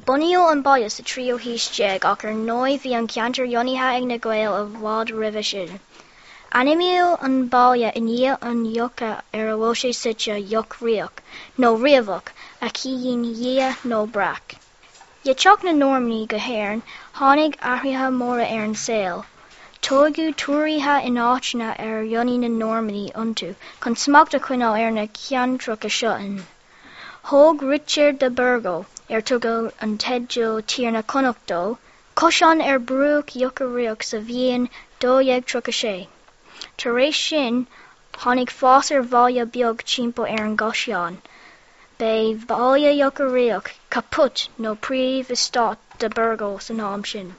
Bunaíodh an baile sa tríú haois déag ach ar ndóigh bhí an ceantar lonnaithe ag na Gaeil i bhfad roimhe sin. Ainmníodh an baile i ndiaidh an locha ar a bhfuil sé suite, Loch Riach, nó Riabhach, a chiallaíonn liath nó breac. Le teacht na Normannach go hÉirinn, tháinig athruithe móra ar an saol. Tógadh túrthithe in áiteanna ar lonnaigh na Normannaigh iontu chun smacht a choinneáil ar na ceantracha seo in. Thóg Risteard de Burgo, ar tugadh an teideal Tiarna Chonnacht dó, caisleán ar bhruach Locha Riach sa bhliain 1236. Tar éis sin, tháinig fás ar bhaile beag timpeall ar an gcaisleán. B'é Baile Locha Riach caput nó príomh-eastát de Burgo san am sin.